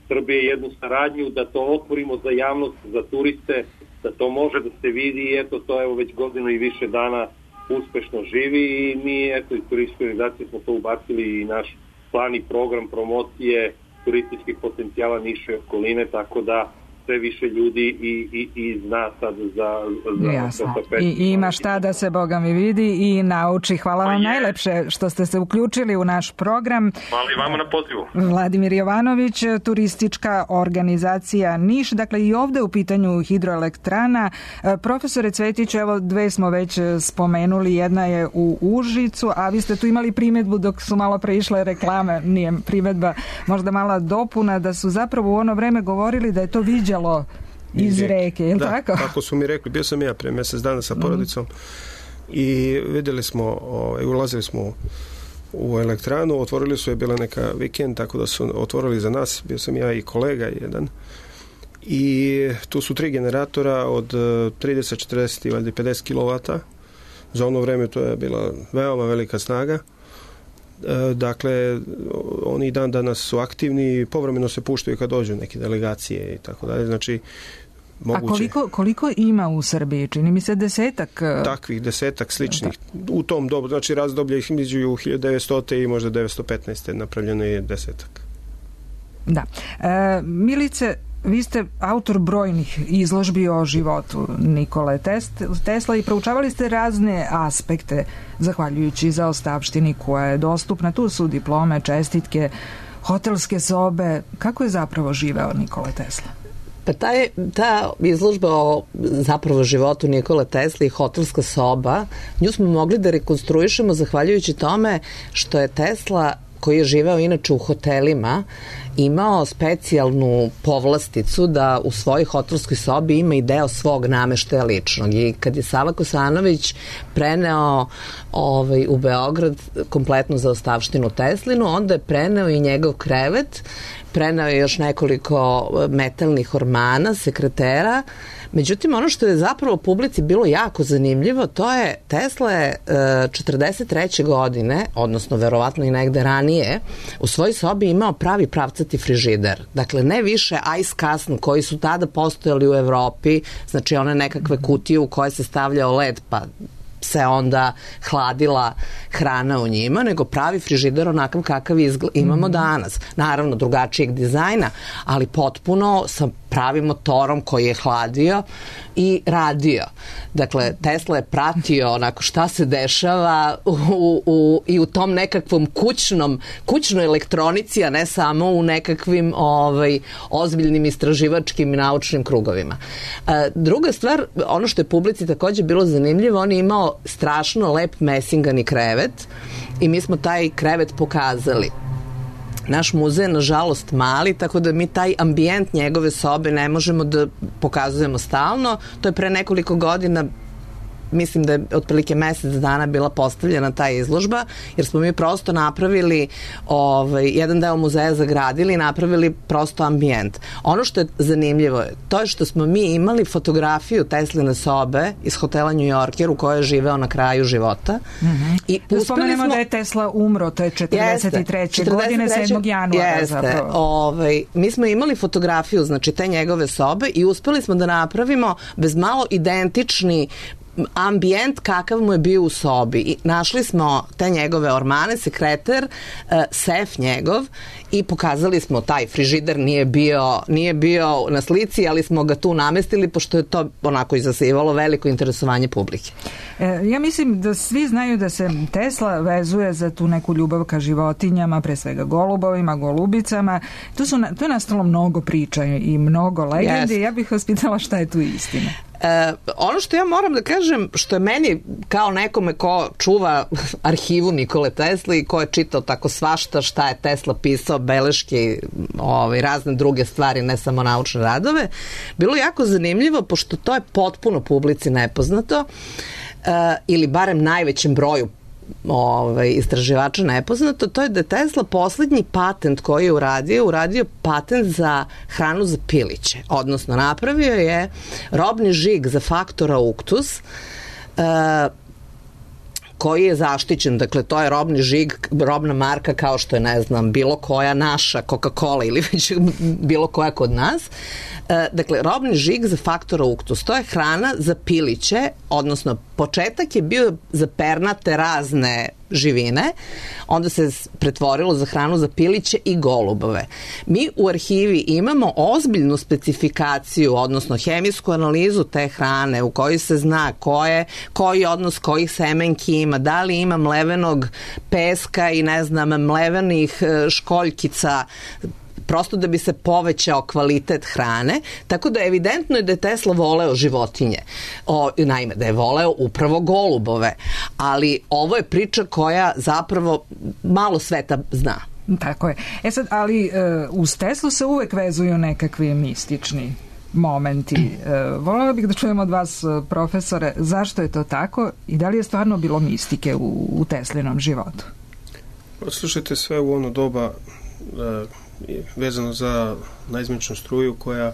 Srbije jednu saradnju da to otvorimo za javnost, za turiste, da to može da se vidi i eto to evo već godinu i više dana uspešno živi i mi eto iz turističke organizacije smo to ubacili i naš plan i program promocije turističkih potencijala Niša i okoline, tako da sve više ljudi i, i, i zna sad za, za Jasno. I, I ima šta da se Boga mi vidi i nauči. Hvala vam najlepše što ste se uključili u naš program. Hvala i vama na pozivu. Vladimir Jovanović, turistička organizacija Niš, dakle i ovde u pitanju hidroelektrana. Profesore Cvetiću, evo dve smo već spomenuli, jedna je u Užicu, a vi ste tu imali primedbu dok su malo pre išle reklame, nije primedba, možda mala dopuna, da su zapravo u ono vreme govorili da je to viđalo iz reke, je li da, tako? Da, tako su mi rekli, bio sam ja pre mesec dana sa porodicom mm-hmm. i videli smo, ovaj, ulazili smo u elektranu, otvorili su, je bila neka vikend, tako da su otvorili za nas, bio sam ja i kolega jedan, i tu su tri generatora od trideset, četrdeset i valjda pedeset kilovata. Za ono vreme to je bila veoma velika snaga. Dakle, oni dan danas su aktivni, povremeno se puštaju kad dođu neke delegacije i tako dalje. Znači, moguće. A koliko, koliko ima u Srbiji? Čini mi se desetak? Takvih desetak sličnih. Da. U tom dobu, znači razdoblje ih među hiljadu devetsto i možda devetsto petnaeste napravljeno je desetak. Da. E, Milice, vi ste autor brojnih izložbi o životu Nikole Tesla i proučavali ste razne aspekte zahvaljujući zaostavštini koja je dostupna. Tu su diplome, čestitke, hotelske sobe. Kako je zapravo živeo Nikola Tesla? Pa taj, ta izložba o zapravo životu Nikole Tesla i hotelska soba, nju smo mogli da rekonstruišemo zahvaljujući tome što je Tesla, koji je živeo inače u hotelima, imao specijalnu povlasticu da u svojoj hotelskoj sobi ima i deo svog nameštaja ličnog. I kad je Sava Kosanović preneo ovaj, u Beograd kompletnu zaostavštinu Teslinu, onda je preneo i njegov krevet, preneo je još nekoliko metalnih ormana, sekretera. Međutim, ono što je zapravo publici bilo jako zanimljivo, to je Tesla je četrdeset treće godine, odnosno verovatno i negde ranije, u svojoj sobi imao pravi pravcati frižider. Dakle, ne više ice casn koji su tada postojali u Evropi, znači one nekakve kutije u koje se stavljao led, pa se onda hladila hrana u njima, nego pravi frižider onakav kakav izgled imamo mm. danas. Naravno, drugačijeg dizajna, ali potpuno sa pravim motorom koji je hladio i radio. Dakle, Tesla je pratio onako šta se dešava u, u, i u tom nekakvom kućnom, kućnoj elektronici, a ne samo u nekakvim ovaj, ozbiljnim istraživačkim i naučnim krugovima. E, druga stvar, ono što je publici takođe bilo zanimljivo, on je imao strašno lep mesingani krevet i mi smo taj krevet pokazali. Naš muzej je nažalost mali, tako da mi taj ambijent njegove sobe ne možemo da pokazujemo stalno. To je pre nekoliko godina, mislim da je otprilike mesec dana bila postavljena ta izložba, jer smo mi prosto napravili ovaj, jedan deo muzeja zagradili i napravili prosto ambijent. Ono što je zanimljivo je to je što smo mi imali fotografiju Tesline sobe iz hotela New Yorker u kojoj je živeo na kraju života. Mm-hmm. I da spomenemo smo... da je Tesla umro, to je četrdeset treće godine, sedmog januara Jeste. Zapravo. Ovaj, mi smo imali fotografiju, znači te njegove sobe i uspeli smo da napravimo bez malo identični ambijent kakav mu je bio u sobi. I našli smo te njegove ormane, sekreter, sef njegov i pokazali smo taj frižider, nije bio, nije bio na slici, ali smo ga tu namestili pošto je to onako izazivalo veliko interesovanje publike. E, ja mislim da svi znaju da se Tesla vezuje za tu neku ljubav ka životinjama, pre svega golubovima, golubicama. Tu, su, tu je nastalo mnogo priča i mnogo legendi. Yes. Ja bih vas pitala šta je tu istina. E, ono što ja moram da kažem, što je meni kao nekome ko čuva arhivu Nikole Tesla i ko je čitao tako svašta šta je Tesla pisao, beleške, ovaj, razne druge stvari, ne samo naučne radove, bilo jako zanimljivo, pošto to je potpuno publici nepoznato, e, ili barem najvećem broju ovaj, istraživača nepoznato, to je da je Tesla poslednji patent koji je uradio, uradio patent za hranu za piliće. Odnosno, napravio je robni žig za faktor auctus, uh, koji je zaštićen, dakle to je robni žig, robna marka kao što je, ne znam, bilo koja naša Coca-Cola ili već bilo koja kod nas. E, dakle, robni žig za faktor auctus, to je hrana za piliće, odnosno početak je bio za pernate razne živine, onda se pretvorilo za hranu za piliće i golubove. Mi u arhivi imamo ozbiljnu specifikaciju, odnosno hemijsku analizu te hrane u kojoj se zna koje, koji odnos kojih semenki ima, da li ima mlevenog peska i ne znam, mlevenih školjkica, prosto da bi se povećao kvalitet hrane, tako da evidentno je da je Tesla voleo životinje. O, naime, da je voleo upravo golubove, ali ovo je priča koja zapravo malo sveta zna. Tako je. E sad, ali uh, uz Teslu se uvek vezuju nekakvi mistični momenti. Uh, voljela bih da čujem od vas, profesore, zašto je to tako i da li je stvarno bilo mistike u, u Teslinom životu? Slušajte, sve u ono doba uh, vezano za naizmjeničnu struju koja,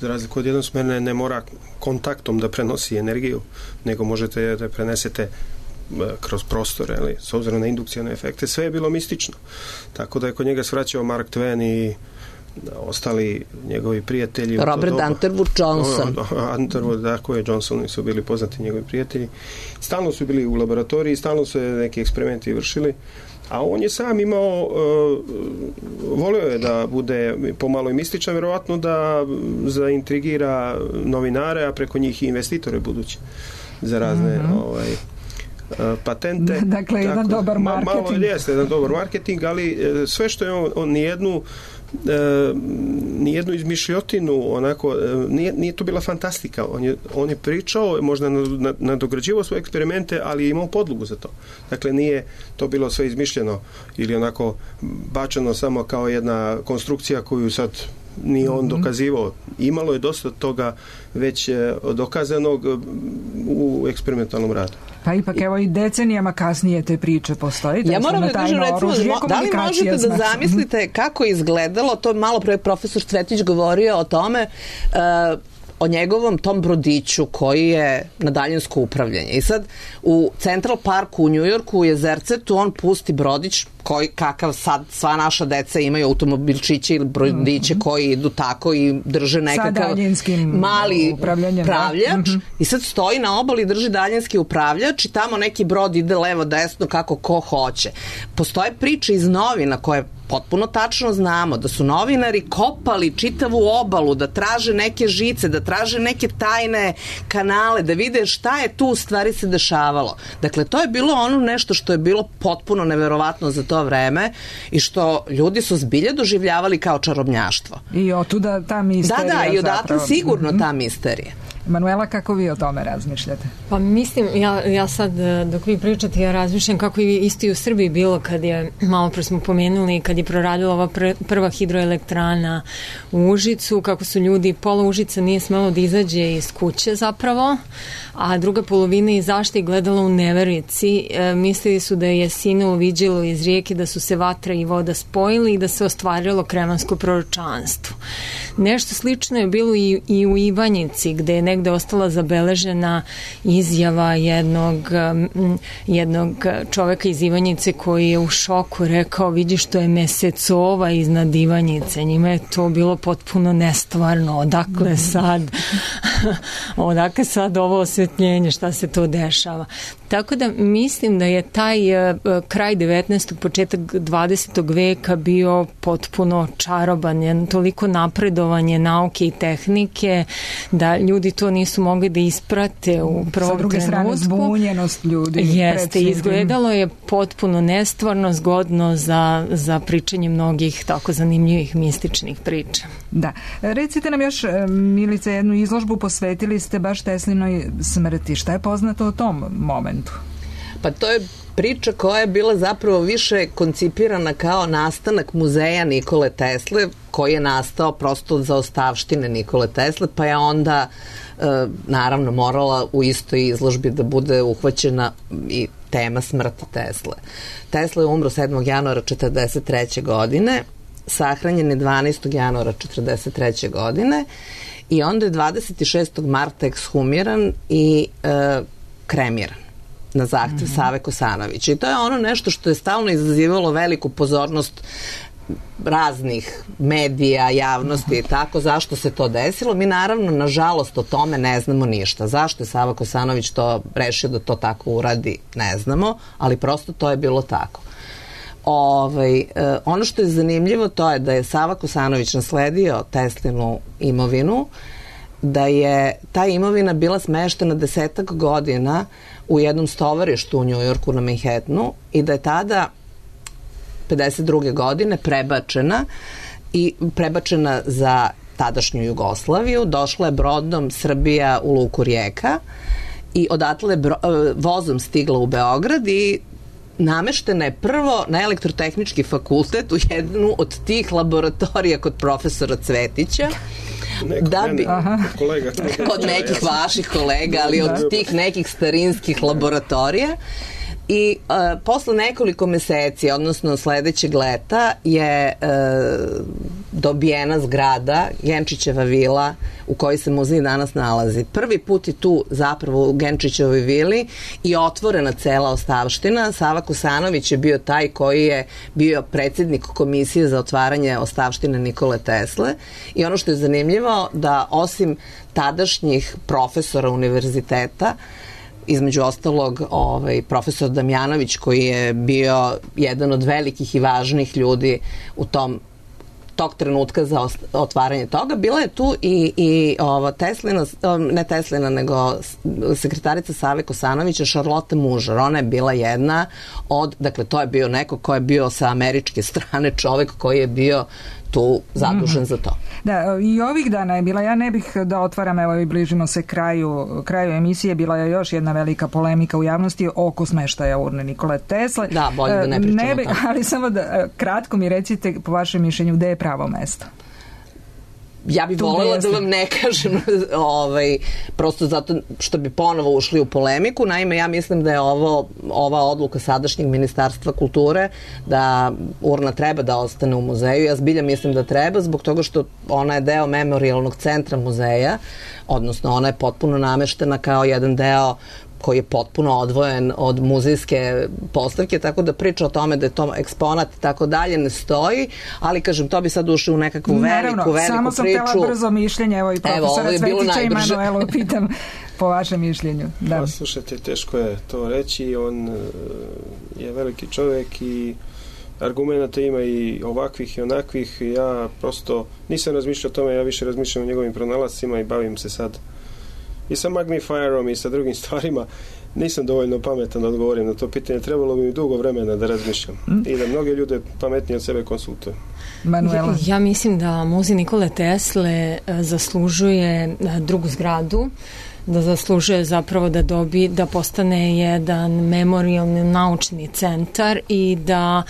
za razliku od jednosmerne, ne mora kontaktom da prenosi energiju, nego možete da prenesete kroz prostore, ali s obzirom na indukcijne efekte, sve je bilo mistično. Tako da je kod njega svraćao Mark Twain i ostali njegovi prijatelji. Robert Underwood Johnson. Underwood, tako je, Johnson su bili poznati njegovi prijatelji. Stalno su bili u laboratoriji, stalno su neki eksperimenti vršili, a on je sam imao, uh, volio je da bude pomalo i mističan, verovatno da zaintrigira novinare, a preko njih i investitore budući za razne mm-hmm. ovaj, uh, patente. Dakle, tako, jedan dobar marketing. Malo jeste, jedan dobar marketing, ali uh, sve što je on, on nijednu E, nijednu izmišljotinu onako, e, nije, nije to bila fantastika, on je, on je pričao, možda nadograđivao svoje eksperimente, ali je imao podlogu za to. Dakle, nije to bilo sve izmišljeno ili onako bačeno samo kao jedna konstrukcija koju sad nije on dokazivao. Imalo je dosta toga već dokazanog u eksperimentalnom radu. Pa ipak evo i decenijama kasnije te priče postoji. Ja moram da kažem, recimo, da li možete da zamislite kako je izgledalo, to malo pre profesor Cvetić govorio o tome, uh, o njegovom tom brodiću koji je na daljinsko upravljanje. I sad u Central Parku u Njujorku, u Jezercetu, on pusti brodić koji, kakav sad sva naša deca imaju automobilčiće ili brodiće koji idu tako i drže nekakav mali upravljač da? I sad stoji na obali, drži daljinski upravljač i tamo neki brod ide levo desno kako ko hoće. Postoje priče iz novina koje potpuno tačno znamo da su novinari kopali čitavu obalu, da traže neke žice, da traže neke tajne kanale, da vide šta je tu u stvari se dešavalo. Dakle, to je bilo ono nešto što je bilo potpuno neverovatno za to vreme i što ljudi su zbilje doživljavali kao čarobnjaštvo. I otuda ta misterija. Da, da, i odatle sigurno ta misterija. Manuela, kako vi o tome razmišljate? Pa mislim, ja, ja sad dok vi pričate, ja razmišljam kako je isto i u Srbiji bilo kad je, malo pre smo pomenuli, kad je proradila ova pr prva hidroelektrana u Užicu, kako su ljudi, pola Užica nije smelo da izađe iz kuće zapravo, a druga polovina izašla i gledala u neverici. E, mislili su da je sinulo viđilo iz rijeke, da su se vatra i voda spojili i da se ostvarilo kremansko proročanstvo. Nešto slično je bilo i, i u Ivanjici, gde je negde ostala zabeležena izjava jednog, jednog čoveka iz Ivanjice koji je u šoku rekao, vidi što je mesecova iznad Ivanjice. Njima je to bilo potpuno nestvarno. Odakle sad odakle sad ovo osvetljenje, šta se to dešava. Tako da mislim da je taj uh, kraj devetnaestog početak dvadesetog veka bio potpuno čaroban, je toliko napredovanje nauke i tehnike da ljudi to nisu mogli da isprate u prvom trenutku. Sa druge strane zbunjenost ljudi. Jeste, izgledalo je potpuno nestvarno, zgodno za, za pričanje mnogih tako zanimljivih mističnih priča. Da. Recite nam još, Milice, jednu izložbu posvetili ste baš Teslinoj smrti. Šta je poznato o tom momentu? Pa to je priča koja je bila zapravo više koncipirana kao nastanak muzeja Nikole Tesle, koji je nastao prosto za ostavštine Nikole Tesle, pa je onda e, naravno morala u istoj izložbi da bude uhvaćena i tema smrti Tesle. Tesla je umro sedmog januara četrdeset treće godine, sahranjen je dvanaestog januara četrdeset treće godine i onda je dvadeset šestog marta ekshumiran i e, kremiran na zahtev mm-hmm. Save Kosanovića. I to je ono nešto što je stalno izazivalo veliku pozornost raznih medija, javnosti i tako, zašto se to desilo. Mi naravno, nažalost, o tome ne znamo ništa. Zašto je Sava Kosanović to rešio da to tako uradi, ne znamo, ali prosto to je bilo tako. Ovaj, eh, ono što je zanimljivo to je da je Sava Kosanović nasledio Teslinu imovinu, da je ta imovina bila smeštena desetak godina u jednom stovarištu u Njujorku na Manhattanu i da je tada pedeset druge godine prebačena i prebačena za tadašnju Jugoslaviju, došla je brodom Srbija u luku Rijeka i odatle bro, vozom stigla u Beograd i nameštena je prvo na elektrotehnički fakultet u jednu od tih laboratorija kod profesora Cvetića. Neko da bi, mene, kod, kolega, kod nekih vaših kolega, ali od tih nekih starinskih laboratorija. I uh, posle nekoliko meseci, odnosno sledećeg leta, je uh, dobijena zgrada, Genčićeva vila, u kojoj se muzej danas nalazi. Prvi put je tu zapravo u Genčićevoj vili i otvorena cela ostavština. Sava Kosanović je bio taj koji je bio predsjednik komisije za otvaranje ostavštine Nikole Tesle. I ono što je zanimljivo, da osim tadašnjih profesora univerziteta, između ostalog ovaj, profesor Damjanović koji je bio jedan od velikih i važnih ljudi u tom tog trenutka za otvaranje toga, bila je tu i, i ova Teslina, ne Teslina, nego sekretarica Save Kosanovića, Šarlota Mužar. Ona je bila jedna od, dakle to je bio neko ko je bio sa američke strane, čovek koji je bio tu zadužen mm-hmm. za to. Da, i ovih dana je bila, ja ne bih da otvaram, evo i bližimo se kraju, kraju emisije, bila je još jedna velika polemika u javnosti oko smeštaja urne Nikole Tesle. Da, bolje da ne pričamo ne bi, o tome. Ali samo da kratko mi recite, po vašem mišljenju, gde je pravo mesto? Ja bih voljela da vam ne kažem ovaj, prosto zato što bi ponovo ušli u polemiku. Naime, ja mislim da je ovo ova odluka sadašnjeg Ministarstva kulture da urna treba da ostane u muzeju. Ja zbilja mislim da treba zbog toga što ona je deo memorijalnog centra muzeja, odnosno ona je potpuno nameštena kao jedan deo koji je potpuno odvojen od muzejske postavke, tako da priča o tome da je to eksponat i tako dalje ne stoji, ali kažem, to bi sad ušli u nekakvu veliku, Naravno, veliku priču. Samo sam priču. htjela brzo mišljenje, evo i profesora evo, Cvetića i Manuelu pitam po vašem mišljenju. Da. Pa, slušajte, teško je to reći, on je veliki čovjek i argumenta ima i ovakvih i onakvih, ja prosto nisam razmišljao o tome, ja više razmišljam o njegovim pronalascima i bavim se sad i sa magnifierom i sa drugim stvarima. Nisam dovoljno pametan da odgovorim na to pitanje. Trebalo bi mi dugo vremena da razmišljam mm. i da mnoge ljude pametnije od sebe konsultujem. Manuela. Ja mislim da muzej Nikole Tesle zaslužuje drugu zgradu, da zaslužuje zapravo da dobi, da postane jedan memorijalni naučni centar i da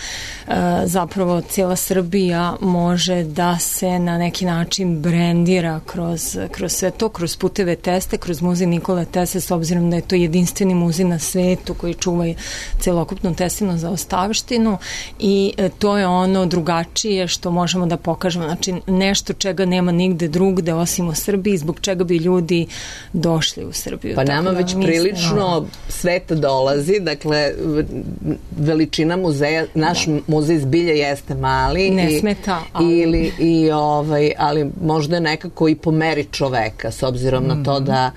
e, zapravo cijela Srbija može da se na neki način brendira kroz, kroz sve to, kroz puteve Tesle, kroz muzej Nikole Tesle, s obzirom da je to jedinstveni muzej na svetu koji čuva celokupnu Teslinu zaostavštinu i e, to je ono drugačije što možemo da pokažemo, znači nešto čega nema nigde drugde osim u Srbiji, zbog čega bi ljudi došli u Srbiju. Pa nama već mislim, prilično sveta dolazi, dakle veličina muzeja, naš da. muzej zbilja jeste mali ne i, smeta, ali... ili, i ovaj, ali možda je nekako i po meri čoveka, s obzirom mm. na to da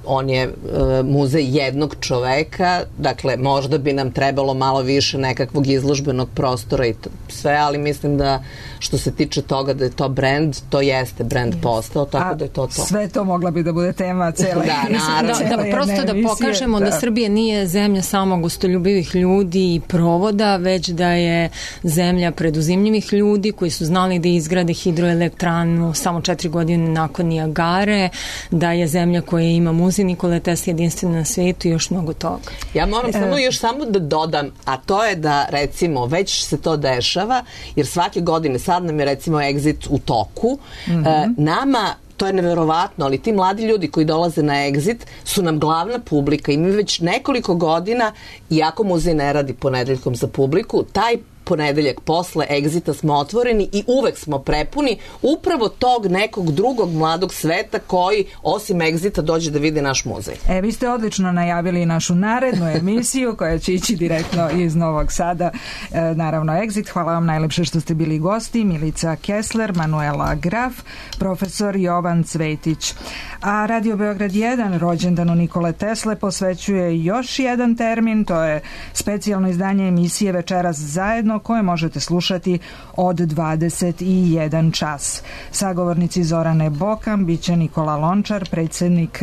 on je uh, muzej jednog čoveka, dakle možda bi nam trebalo malo više nekakvog izložbenog prostora i to, sve, ali mislim da što se tiče toga da je to brand, to jeste brand postao, tako A da je to to. Sve to mogla bi da bude tema cele da, naravno. Da, da, prosto da pokažemo da. da Srbija nije zemlja samo gostoljubivih ljudi i provoda, već da je zemlja preduzimljivih ljudi koji su znali da izgrade hidroelektranu samo četiri godine nakon Nijagare, da je zemlja koja ima muzej Nikole Tesle jedinstvena na svijetu i još mnogo toga. Ja moram samo još samo da dodam, a to je da recimo već se to dešava, jer svake godine, sad nam je recimo Exit u toku, mm-hmm. e, nama to je neverovatno, ali ti mladi ljudi koji dolaze na Exit su nam glavna publika i mi već nekoliko godina, iako muzej ne radi ponedeljkom za publiku, taj ponedeljak posle egzita smo otvoreni i uvek smo prepuni upravo tog nekog drugog mladog sveta koji osim egzita dođe da vidi naš muzej. E, vi ste odlično najavili našu narednu emisiju koja će ići direktno iz Novog Sada, e, naravno Exit. Hvala vam najlepše što ste bili gosti. Milica Kessler, Manuela Graf, profesor Jovan Cvetić. A Radio Beograd jedan rođendanu Nikole Tesle posvećuje još jedan termin, to je specijalno izdanje emisije Večeras zajedno koje možete slušati od dvadeset jedan čas. Sagovornici Zorane Bokam biće Nikola Lončar, predsjednik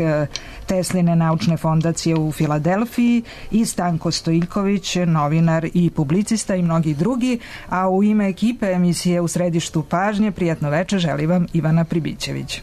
Tesline naučne fondacije u Filadelfiji i Stanko Stojiljković, novinar i publicista i mnogi drugi, a u ime ekipe emisije U središtu pažnje prijatno veče želi vam Ivana Pribićević.